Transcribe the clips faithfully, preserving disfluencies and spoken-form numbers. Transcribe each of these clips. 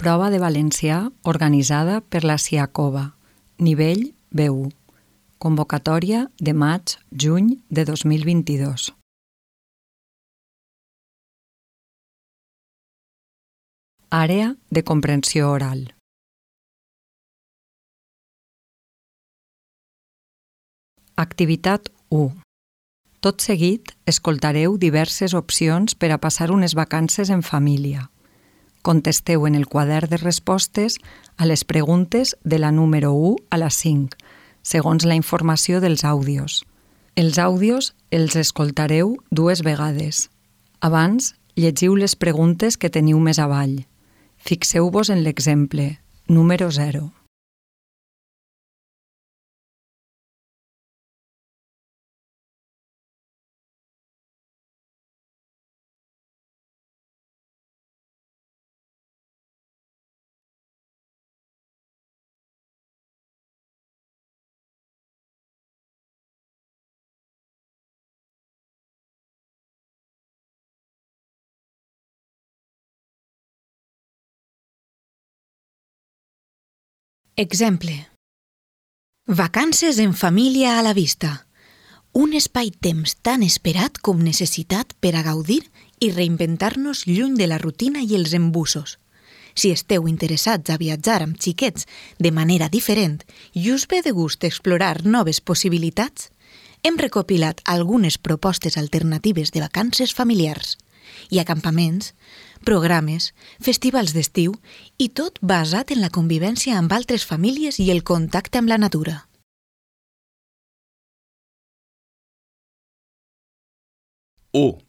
Prova de valencià organitzada per la Siacova, nivell B u. Convocatòria de maig-juny de dos mil vint-i-dos. Àrea de comprensió oral. Activitat u. Tot seguit, escoltareu diverses opcions per a passar unes vacances en família. Contesteu en el quadern de respostes a les preguntes de la número u a la cinc, segons la informació dels àudios. Els àudios els escoltareu dues vegades. Abans, llegiu les preguntes que teniu més avall. Fixeu-vos en l'exemple, número zero. Exemple. Vacances en família a la vista. Un espai-temps tan esperat com necessitat per a gaudir i reinventar-nos lluny de la rutina i els embussos. Si esteu interessats a viatjar amb xiquets de manera diferent i us ve de gust explorar noves possibilitats, hem recopilat algunes propostes alternatives de vacances familiars i acampaments, programes, festivals d'estiu i tot basat en la convivència amb altres famílies i el contacte amb la natura. u.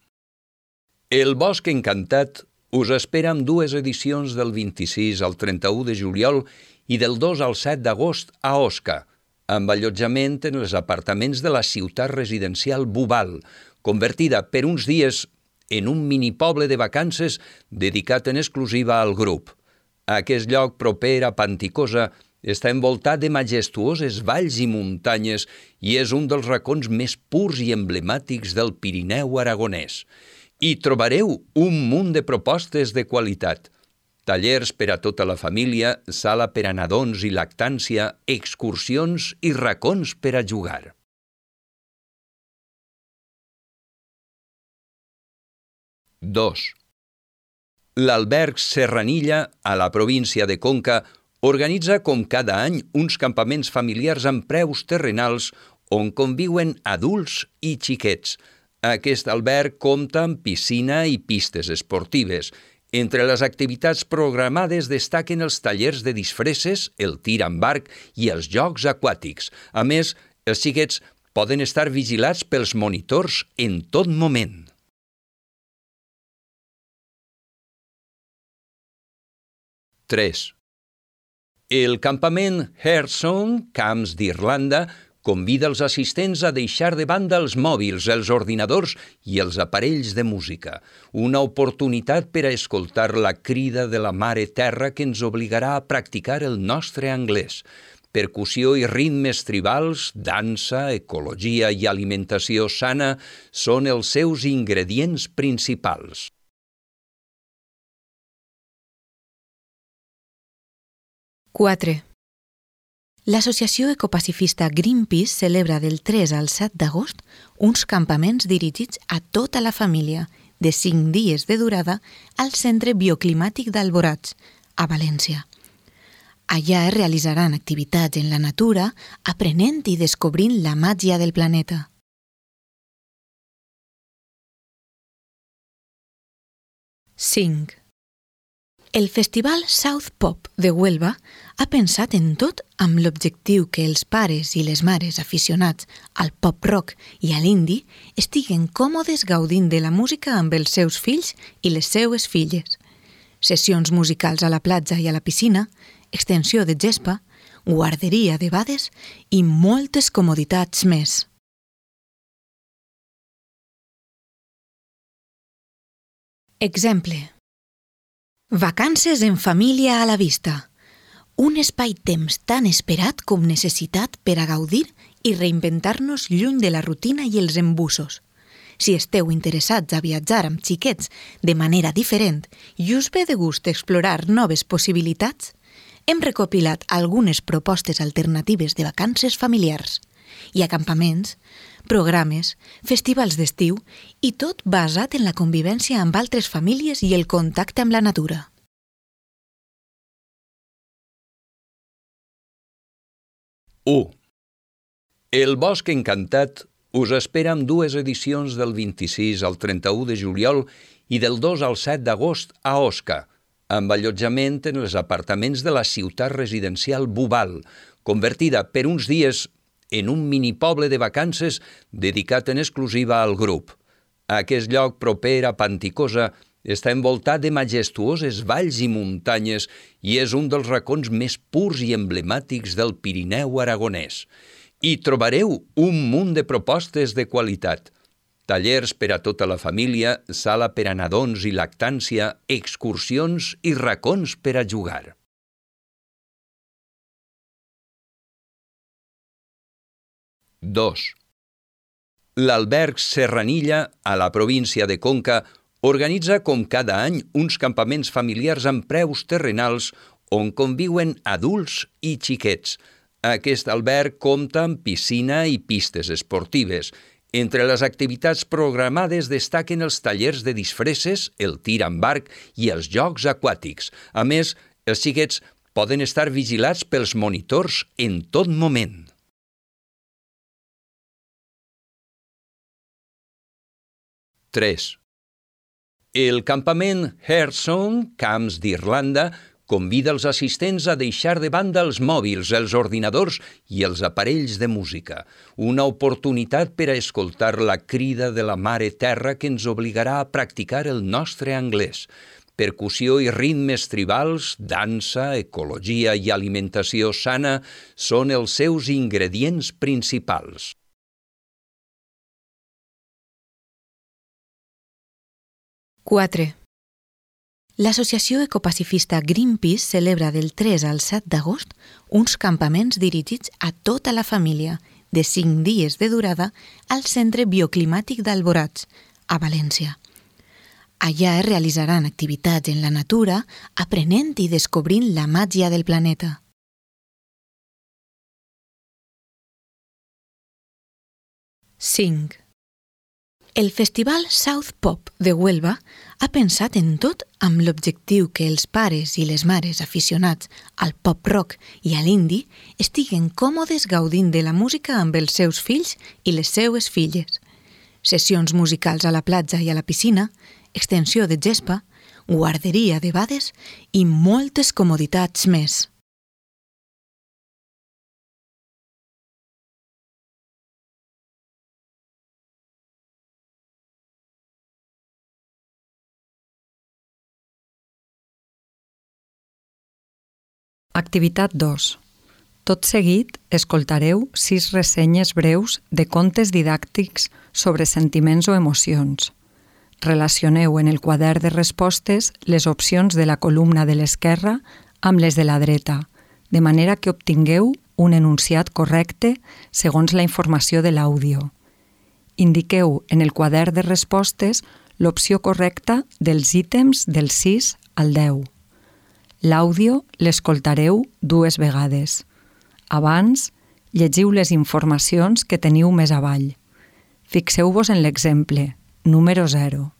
El Bosc Encantat us espera amb dues edicions del vint-i-sis al trenta-u de juliol i del dos al set d'agost a Osca, amb allotjament en els apartaments de la ciutat residencial Bubal, convertida per uns dies en un minipoble de vacances dedicat en exclusiva al grup. Aquest lloc proper a Panticosa està envoltat de majestuoses valls i muntanyes i és un dels racons més purs i emblemàtics del Pirineu aragonès. Hi trobareu un munt de propostes de qualitat. Tallers per a tota la família, sala per a nadons i lactància, excursions i racons per a jugar. dos. L'alberg Serranilla, a la província de Conca, organitza com cada any uns campaments familiars amb preus terrenals on conviuen adults i xiquets. Aquest alberg compta amb piscina i pistes esportives. Entre les activitats programades destaquen els tallers de disfresses, el tir amb arc i els jocs aquàtics. A més, els xiquets poden estar vigilats pels monitors en tot moment. tres. El campament Hearthstone, Camps d'Irlanda, convida els assistents a deixar de banda els mòbils, els ordinadors i els aparells de música. Una oportunitat per a escoltar la crida de la Mare Terra que ens obligarà a practicar el nostre anglès. Percussió i ritmes tribals, dansa, ecologia i alimentació sana són els seus ingredients principals. quatre. L'associació ecopacifista Greenpeace celebra del tres al set d'agost uns campaments dirigits a tota la família, de cinc dies de durada, al Centre Bioclimàtic d'Alborats, a València. Allà es realitzaran activitats en la natura, aprenent i descobrint la màgia del planeta. cinc. El Festival South Pop de Huelva ha pensat en tot amb l'objectiu que els pares i les mares aficionats al pop-rock i a l'indie estiguen còmodes gaudint de la música amb els seus fills i les seues filles. Sessions musicals a la platja i a la piscina, extensió de gespa, guarderia de bades i moltes comoditats més. Exemple. Vacances en família a la vista. Un espai-temps tan esperat com necessitat per a gaudir i reinventar-nos lluny de la rutina i els embussos. Si esteu interessats a viatjar amb xiquets de manera diferent i us ve de gust explorar noves possibilitats, hem recopilat algunes propostes alternatives de vacances familiars i acampaments, programes, festivals d'estiu i tot basat en la convivència amb altres famílies i el contacte amb la natura. u. El Bosc Encantat us espera amb dues edicions del vint-i-sis al trenta-u de juliol i del dos al set d'agost a Osca, amb allotjament en els apartaments de la ciutat residencial Bubal, convertida per uns dies en un minipoble de vacances dedicat en exclusiva al grup. Aquest lloc proper a Panticosa està envoltat de majestuoses valls i muntanyes i és un dels racons més purs i emblemàtics del Pirineu aragonès. Hi trobareu un munt de propostes de qualitat. Tallers per a tota la família, sala per a nadons i lactància, excursions i racons per a jugar. dos. L'alberg Serranilla, a la província de Conca, organitza com cada any uns campaments familiars amb preus terrenals on conviuen adults i xiquets. Aquest alberg compta amb piscina i pistes esportives. Entre les activitats programades destaquen els tallers de disfresses, el tir amb arc i els jocs aquàtics. A més, els xiquets poden estar vigilats pels monitors en tot moment. tres. El campament Hearthstone, Camps d'Irlanda, convida els assistents a deixar de banda els mòbils, els ordinadors i els aparells de música. Una oportunitat per a escoltar la crida de la Mare Terra que ens obligarà a practicar el nostre anglès. Percussió i ritmes tribals, dansa, ecologia i alimentació sana són els seus ingredients principals. quatre. L'associació ecopacifista Greenpeace celebra del tres al set d'agost uns campaments dirigits a tota la família, de cinc dies de durada, al Centre Bioclimàtic d'Alborats, a València. Allà es realitzaran activitats en la natura, aprenent i descobrint la màgia del planeta. cinc. El Festival South Pop de Huelva ha pensat en tot amb l'objectiu que els pares i les mares aficionats al pop-rock i a l'indie estiguen còmodes gaudint de la música amb els seus fills i les seues filles. Sessions musicals a la platja i a la piscina, extensió de gespa, guarderia de bades i moltes comoditats més. Activitat dos. Tot seguit, escoltareu sis ressenyes breus de contes didàctics sobre sentiments o emocions. Relacioneu en el quadern de respostes les opcions de la columna de l'esquerra amb les de la dreta, de manera que obtingueu un enunciat correcte segons la informació de l'àudio. Indiqueu en el quadern de respostes l'opció correcta dels ítems del sis al deu. L'àudio l'escoltareu dues vegades. Abans, llegiu les informacions que teniu més avall. Fixeu-vos en l'exemple, número zero.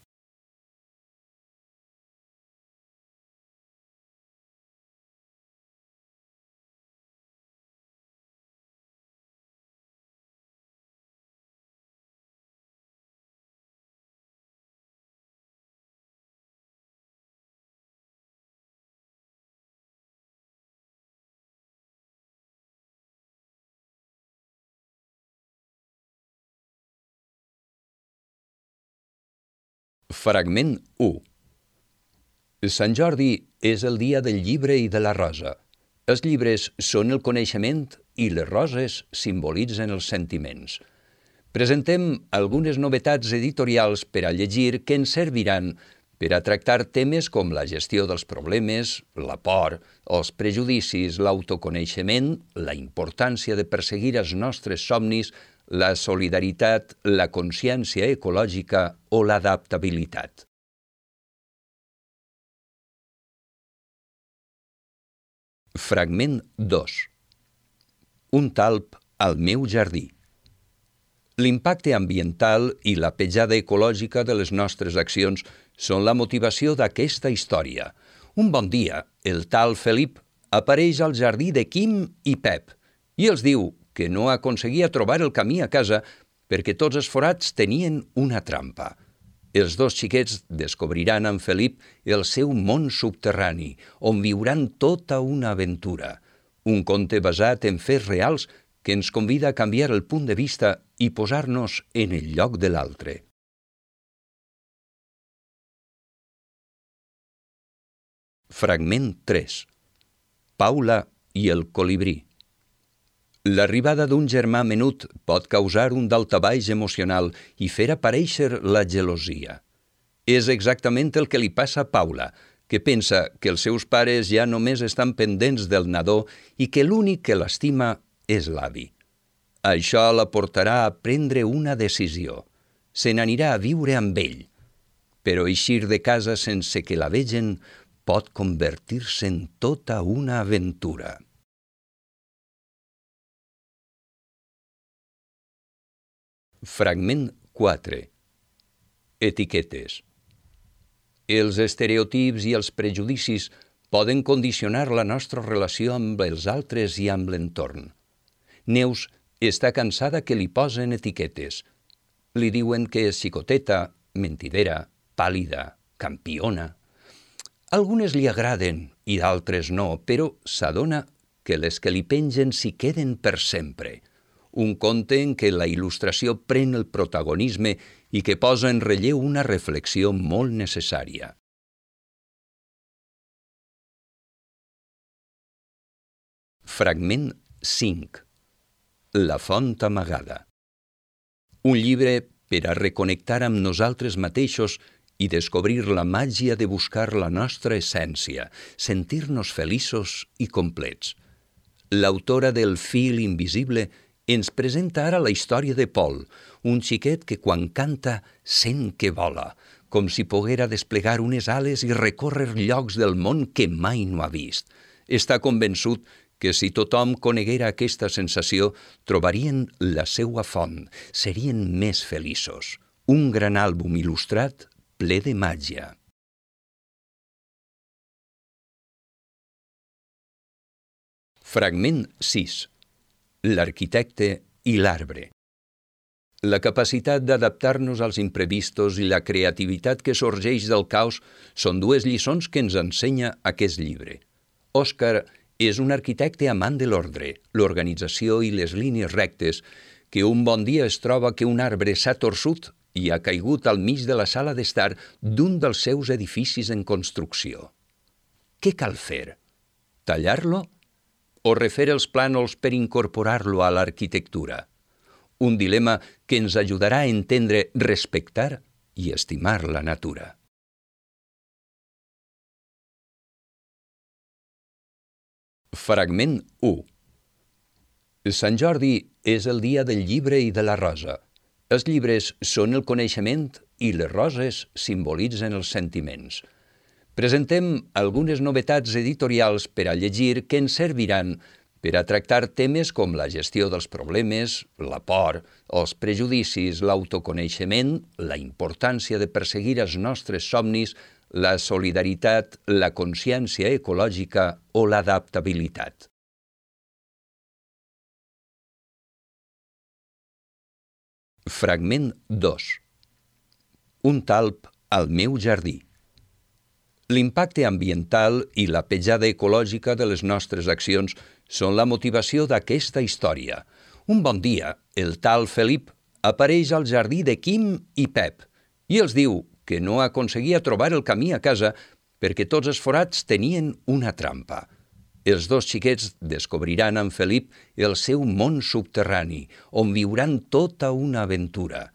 Fragment u. Sant Jordi és el dia del llibre i de la rosa. Els llibres són el coneixement i les roses simbolitzen els sentiments. Presentem algunes novetats editorials per a llegir que ens serviran per a tractar temes com la gestió dels problemes, la por, els prejudicis, l'autoconeixement, la importància de perseguir els nostres somnis, la solidaritat, la consciència ecològica o l'adaptabilitat. Fragment dos. Un talp al meu jardí. L'impacte ambiental i la petjada ecològica de les nostres accions són la motivació d'aquesta història. Un bon dia, el tal Felip apareix al jardí de Quim i Pep i els diu que no aconseguia trobar el camí a casa perquè tots els forats tenien una trampa. Els dos xiquets descobriran amb Felip el seu món subterrani, on viuran tota una aventura. Un conte basat en fets reals que ens convida a canviar el punt de vista i posar-nos en el lloc de l'altre. Fragment tres. Paula i el colibrí. L'arribada d'un germà menut pot causar un daltabaix emocional i fer aparèixer la gelosia. És exactament el que li passa a Paula, que pensa que els seus pares ja només estan pendents del nadó i que l'únic que l'estima és l'avi. Això la portarà a prendre una decisió. Se n'anirà a viure amb ell. Però eixir de casa sense que la vegen pot convertir-se en tota una aventura. Fragment quatre. Etiquetes. Els estereotips i els prejudicis poden condicionar la nostra relació amb els altres i amb l'entorn. Neus està cansada que li posen etiquetes. Li diuen que és xicoteta, mentidera, pàl·lida, campiona. Algunes li agraden i d'altres no, però s'adona que les que li pengen s'hi queden per sempre. Un conte en què la il·lustració pren el protagonisme i que posa en relleu una reflexió molt necessària. Fragment cinc. La font amagada. Un llibre per a reconnectar amb nosaltres mateixos i descobrir la màgia de buscar la nostra essència, sentir-nos feliços i complets. L'autora del Fil invisible ens presenta ara la història de Paul, un xiquet que quan canta sent que vola, com si poguera desplegar unes ales i recórrer llocs del món que mai no ha vist. Està convençut que si tothom coneguera aquesta sensació, trobarien la seua font, serien més feliços. Un gran àlbum il·lustrat ple de màgia. Fragment sis. L'arquitecte i l'arbre. La capacitat d'adaptar-nos als imprevistos i la creativitat que sorgeix del caos són dues lliçons que ens ensenya aquest llibre. Òscar és un arquitecte amant de l'ordre, l'organització i les línies rectes, que un bon dia es troba que un arbre s'ha torçut i ha caigut al mig de la sala d'estar d'un dels seus edificis en construcció. Què cal fer? Tallar-lo? O refer els plànols per incorporar-lo a l'arquitectura? Un dilema que ens ajudarà a entendre, respectar i estimar la natura. Fragment u. Sant Jordi és el dia del llibre i de la rosa. Els llibres són el coneixement i les roses simbolitzen els sentiments. Presentem algunes novetats editorials per a llegir que ens serviran per a tractar temes com la gestió dels problemes, la por, els prejudicis, l'autoconeixement, la importància de perseguir els nostres somnis, la solidaritat, la consciència ecològica o l'adaptabilitat. Fragment dos. Un talp al meu jardí. L'impacte ambiental i la petjada ecològica de les nostres accions són la motivació d'aquesta història. Un bon dia, el tal Felip apareix al jardí de Quim i Pep i els diu que no aconseguia trobar el camí a casa perquè tots els forats tenien una trampa. Els dos xiquets descobriran amb Felip el seu món subterrani, on viuran tota una aventura.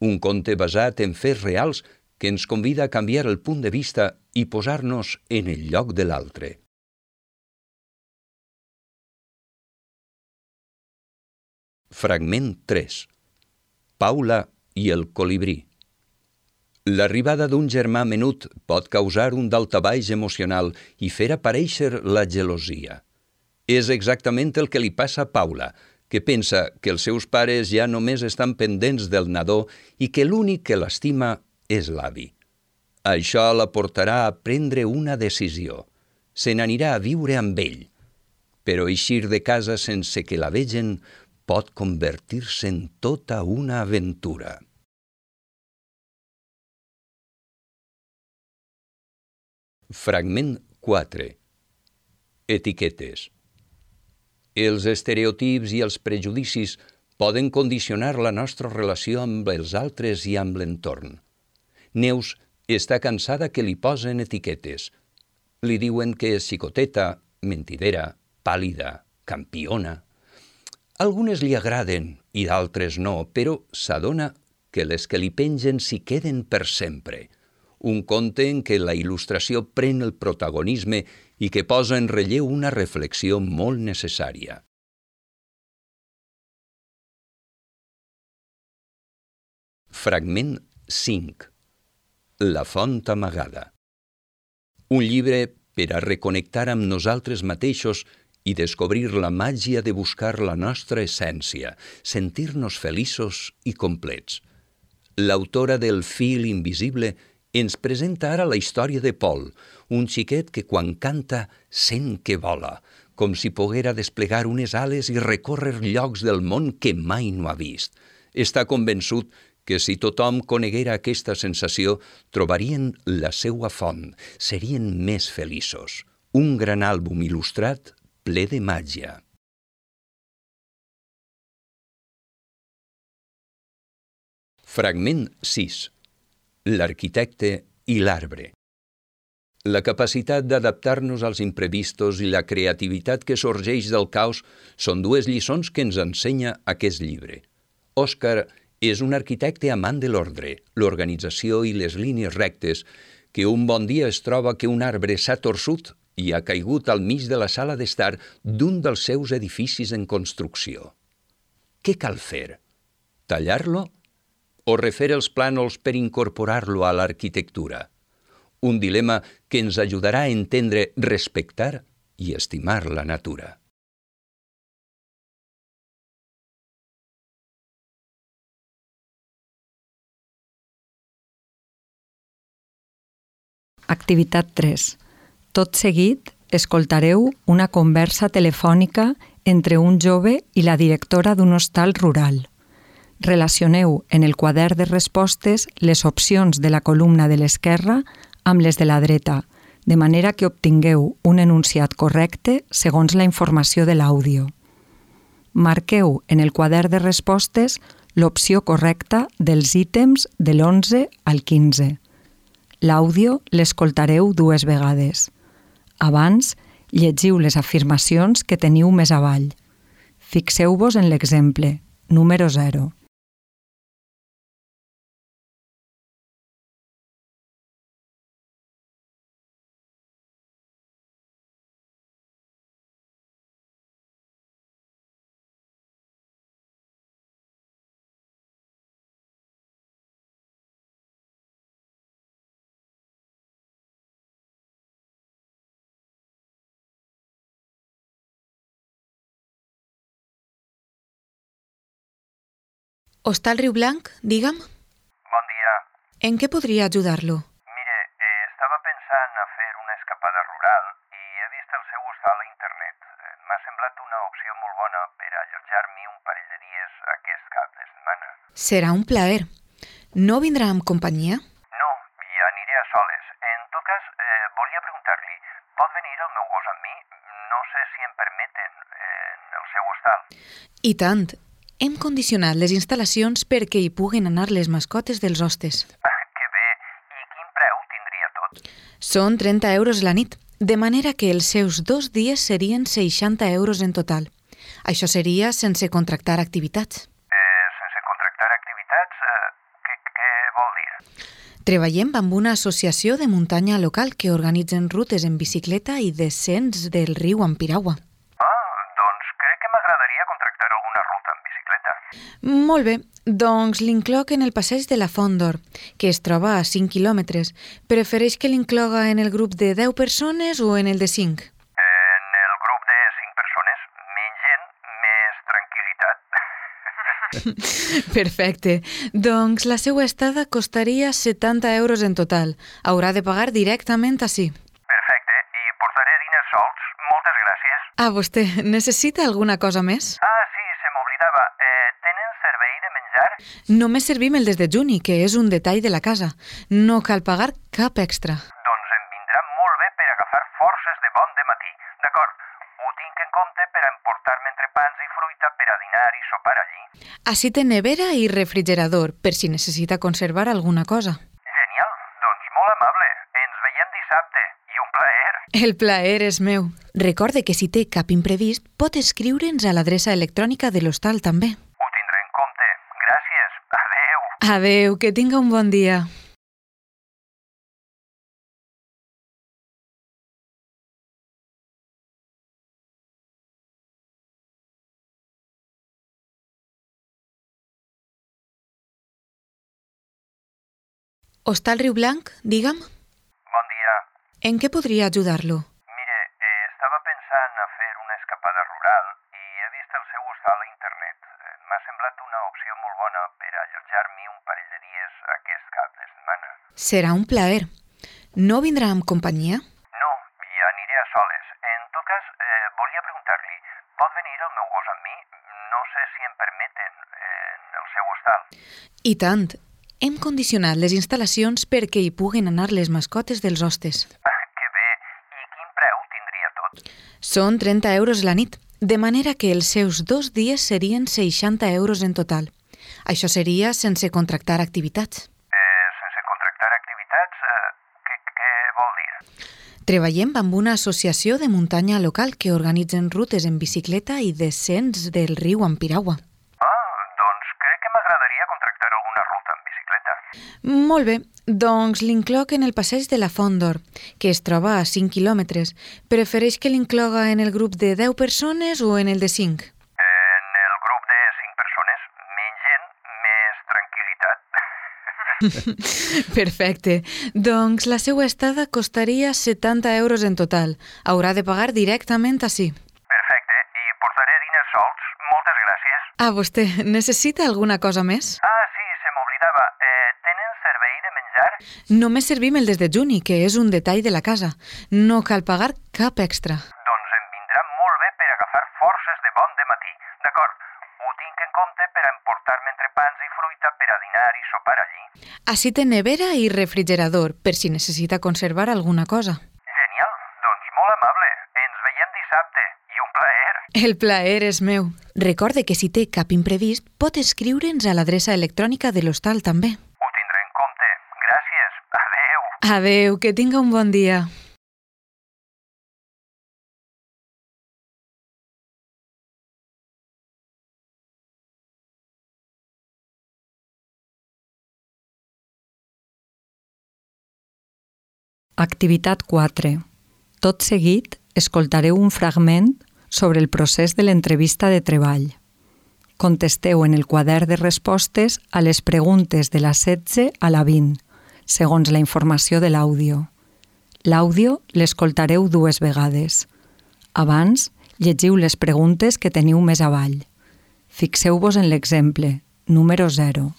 Un conte basat en fets reals que ens convida a canviar el punt de vista i posar-nos en el lloc de l'altre. Fragment tres. Paula i el colibrí. L'arribada d'un germà menut pot causar un daltabaix emocional i fer aparèixer la gelosia. És exactament el que li passa a Paula, que pensa que els seus pares ja només estan pendents del nadó i que l'únic que l'estima és l'avi. Això la portarà a prendre una decisió. Se n'anirà a viure amb ell. Però eixir de casa sense que la vegen pot convertir-se en tota una aventura. Fragment quatre. Etiquetes. Els estereotips i els prejudicis poden condicionar la nostra relació amb els altres i amb l'entorn. Neus està cansada que li posen etiquetes. Li diuen que és xicoteta, mentidera, pàl·lida, campiona. Algunes li agraden i d'altres no, però s'adona que les que li pengen s'hi queden per sempre. Un conte en què la il·lustració pren el protagonisme i que posa en relleu una reflexió molt necessària. Fragment cinc. La font amagada. Un llibre per a reconnectar amb nosaltres mateixos i descobrir la màgia de buscar la nostra essència, sentir-nos feliços i complets. L'autora del Fil invisible ens presenta ara la història de Paul, un xiquet que quan canta sent que vola, com si poguera desplegar unes ales i recórrer llocs del món que mai no ha vist. Està convençut que si tothom coneguera aquesta sensació, trobarien la seua font, serien més feliços. Un gran àlbum il·lustrat ple de màgia. Fragment sis. L'arquitecte i l'arbre. La capacitat d'adaptar-nos als imprevistos i la creativitat que sorgeix del caos són dues lliçons que ens ensenya aquest llibre. Òscar és un arquitecte amant de l'ordre, l'organització i les línies rectes, que un bon dia es troba que un arbre s'ha torçut i ha caigut al mig de la sala d'estar d'un dels seus edificis en construcció. Què cal fer? Tallar-lo? O refer els plànols per incorporar-lo a l'arquitectura? Un dilema que ens ajudarà a entendre, respectar i estimar la natura. Activitat tres. Tot seguit, escoltareu una conversa telefònica entre un jove i la directora d'un hostal rural. Relacioneu en el quadern de respostes les opcions de la columna de l'esquerra amb les de la dreta, de manera que obtingueu un enunciat correcte segons la informació de l'àudio. Marqueu en el quadern de respostes l'opció correcta dels ítems de l'onze al quinze. L'àudio l'escoltareu dues vegades. Abans, llegiu les afirmacions que teniu més avall. Fixeu-vos en l'exemple, número zero. Hostal Riu Blanc, digue'm. Bon dia. En què podria ajudar-lo? Mire, eh, estava pensant a fer una escapada rural i he vist el seu hostal a internet. Eh, M'ha semblat una opció molt bona per allotjar-m'hi un parell de dies aquest cap de setmana. Serà un plaer. No vindrà amb companyia? No, i aniré a soles. En tot cas, eh, volia preguntar-li, pot venir el meu gos amb mi? No sé si em permeten eh, en el seu hostal. I tant. Hem condicionat les instal·lacions perquè hi puguen anar les mascotes dels hostes. Ah, que bé. I quin preu tindria tot? Són trenta euros la nit, de manera que els seus dos dies serien seixanta euros en total. Això seria sense contractar activitats. Eh, sense contractar activitats? Eh, què, què vol dir? Treballem amb una associació de muntanya local que organitzen rutes en bicicleta i descens del riu Ampiragua. Ah, doncs crec que m'agradaria contractar alguna ruta en bicicleta. Molt bé, doncs l'incloc en el passeig de la Font d'Or, que es troba a cinc quilòmetres. Prefereix que l'incloga en el grup de deu persones o en el de cinc? En el grup de cinc persones, menys gent, més tranquil·litat. Perfecte. Doncs la seva estada costaria setanta euros en total. Haurà de pagar directament ací. Perfecte, i portaré diners solts. Moltes gràcies. Ah, vostè necessita alguna cosa més? Ah, sí, se m'oblidava. Eh, tenen servei de menjar? Només servim el desdejuni, que és un detall de la casa. No cal pagar cap extra. Doncs em vindrà molt bé per agafar forces de bon de matí. D'acord, ho tinc en compte per emportar-me entrepans i fruita per a dinar i sopar allí. Ací té nevera i refrigerador, per si necessita conservar alguna cosa. Genial, doncs molt amable. Ens veiem dissabte i un plaer. El plaer és meu. Recorde que si té cap imprevist, pot escriure'ns a l'adreça electrònica de l'hostal també. Ho tindré en compte. Gràcies. Adeu. Adeu, que tinga un bon dia. Hostal Riu Blanc, digue'm. Bon dia. En què podria ajudar-lo? Mire, eh, estava pensant a fer una escapada rural i he vist el seu hostal a internet. Eh, M'ha semblat una opció molt bona per allotjar-m'hi un parell de dies aquest cap de setmana. Serà un plaer. No vindrà amb companyia? No, ja aniré a soles. En tot cas, eh, volia preguntar-li, pot venir el meu gos amb mi? No sé si em permeten eh, en el seu hostal. I tant. Hem condicionat les instal·lacions perquè hi puguen anar les mascotes dels hostes. Ah, que bé. I quin preu tindria tot? Són trenta euros la nit, de manera que els seus dos dies serien seixanta euros en total. Això seria sense contractar activitats. Eh, sense contractar activitats, eh, què, què vol dir? Treballem amb una associació de muntanya local que organitzen rutes en bicicleta i descens del riu Ampiragua. Ah, doncs crec que m'agradaria contractar alguna ruta en bicicleta. Molt bé, doncs l'incloc en el passeig de la Font d'Or, que es troba a cinc quilòmetres. Prefereix que l'incloga en el grup de deu persones o en el de cinc? En el grup de cinc persones, menys gent, més tranquil·litat. Perfecte. Doncs la seva estada costaria setanta euros en total. Haurà de pagar directament ací. Perfecte, i portaré diners solts. Moltes gràcies. Ah, vostè necessita alguna cosa més? Ah, sí, se m'oblidava. Eh, tenen servei de menjar? Només servim el desdejuni, que és un detall de la casa. No cal pagar cap extra. Doncs em vindrà molt bé per agafar forces de bon de matí. D'acord, ho tinc en compte per a emportar-me entrepans i fruita per a dinar i sopar allí. Ací té nevera i refrigerador, per si necessita conservar alguna cosa. Genial, doncs molt amable. Ens veiem dissabte i un plaer. El plaer és meu. Recorde que si té cap imprevist, pot escriure'ns a l'adreça electrònica de l'hostal també. Ho tindré en compte. Gràcies. Adeu. Adeu, que tinga un bon dia. Activitat quatre. Tot seguit, escoltareu un fragment sobre el procés de l'entrevista de treball. Contesteu en el quadern de respostes a les preguntes de la setze a la vint, segons la informació de l'àudio. L'àudio l'escoltareu dues vegades. Abans, llegiu les preguntes que teniu més avall. Fixeu-vos en l'exemple, número zero.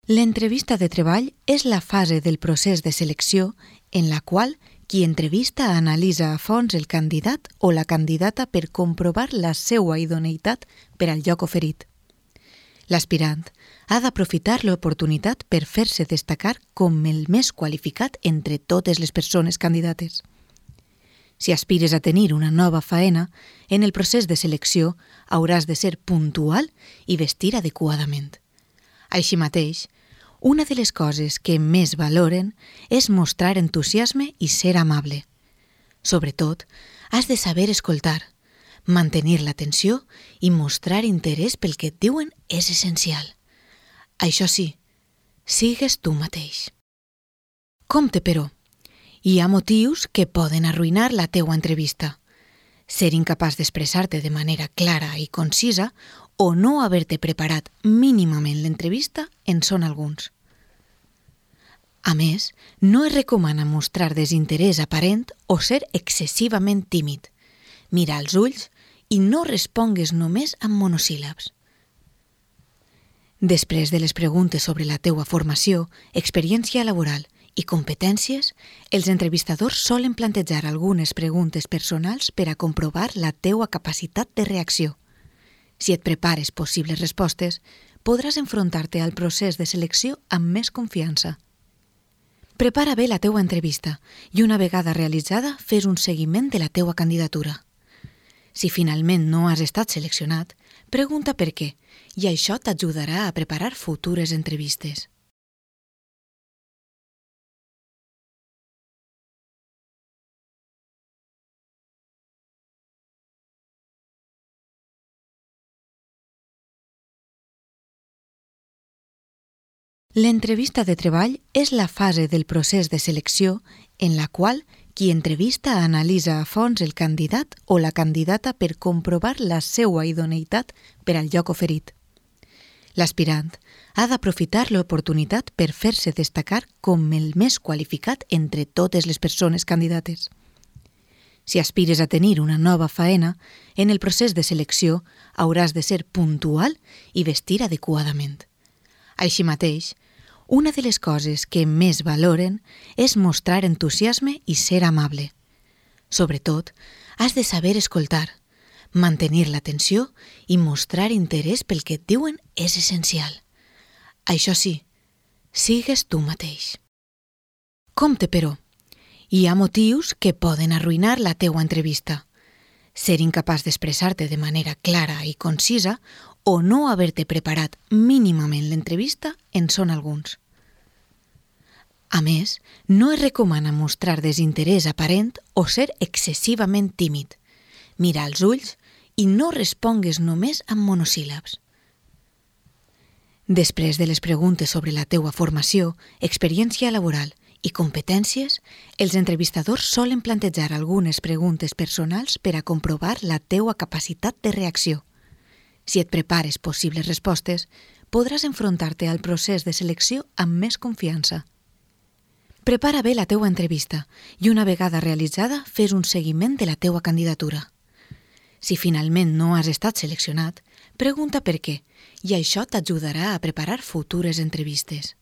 L'entrevista de treball és la fase del procés de selecció en la qual qui entrevista analitza a fons el candidat o la candidata per comprovar la seva idoneïtat per al lloc oferit. L'aspirant ha d'aprofitar l'oportunitat per fer-se destacar com el més qualificat entre totes les persones candidates. Si aspires a tenir una nova faena, en el procés de selecció hauràs de ser puntual i vestir adequadament. Així mateix, una de les coses que més valoren és mostrar entusiasme i ser amable. Sobretot, has de saber escoltar, mantenir l'atenció i mostrar interès pel que et diuen és essencial. Això sí, sigues tu mateix. Compte, però, hi ha motius que poden arruïnar la teua entrevista. Ser incapaç d'expressar-te de manera clara i concisa o no haver-te preparat mínimament l'entrevista en són alguns. A més, no es recomana mostrar desinterès aparent o ser excessivament tímid. Mira als ulls i no respongues només amb monosíl·labs. Després de les preguntes sobre la teua formació, experiència laboral i competències, els entrevistadors solen plantejar algunes preguntes personals per a comprovar la teua capacitat de reacció. Si et prepares possibles respostes, podràs enfrontar-te al procés de selecció amb més confiança. Prepara bé la teua entrevista i una vegada realitzada fes un seguiment de la teua candidatura. Si finalment no has estat seleccionat, pregunta per què i això t'ajudarà a preparar futures entrevistes. L'entrevista de treball és la fase del procés de selecció en la qual qui entrevista analitza a fons el candidat o la candidata per comprovar la seva idoneïtat per al lloc oferit. L'aspirant ha d'aprofitar l'oportunitat per fer-se destacar com el més qualificat entre totes les persones candidates. Si aspires a tenir una nova faena, en el procés de selecció hauràs de ser puntual i vestir adequadament. Així mateix, una de les coses que més valoren és mostrar entusiasme i ser amable. Sobretot, has de saber escoltar, mantenir l'atenció i mostrar interès pel que et diuen és essencial. Això sí, sigues tu mateix. Compte, però, hi ha motius que poden arruïnar la teua entrevista. Ser incapaç d'expressar-te de manera clara i concisa o no haver-te preparat mínimament l'entrevista en són alguns. A més, no es recomana mostrar desinterès aparent o ser excessivament tímid. Mira als ulls i no respongues només amb monosíl·labs. Després de les preguntes sobre la teua formació, experiència laboral i competències, els entrevistadors solen plantejar algunes preguntes personals per a comprovar la teua capacitat de reacció. Si et prepares possibles respostes, podràs enfrontar-te al procés de selecció amb més confiança. Prepara bé la teua entrevista i una vegada realitzada fes un seguiment de la teua candidatura. Si finalment no has estat seleccionat, pregunta per què i això t'ajudarà a preparar futures entrevistes.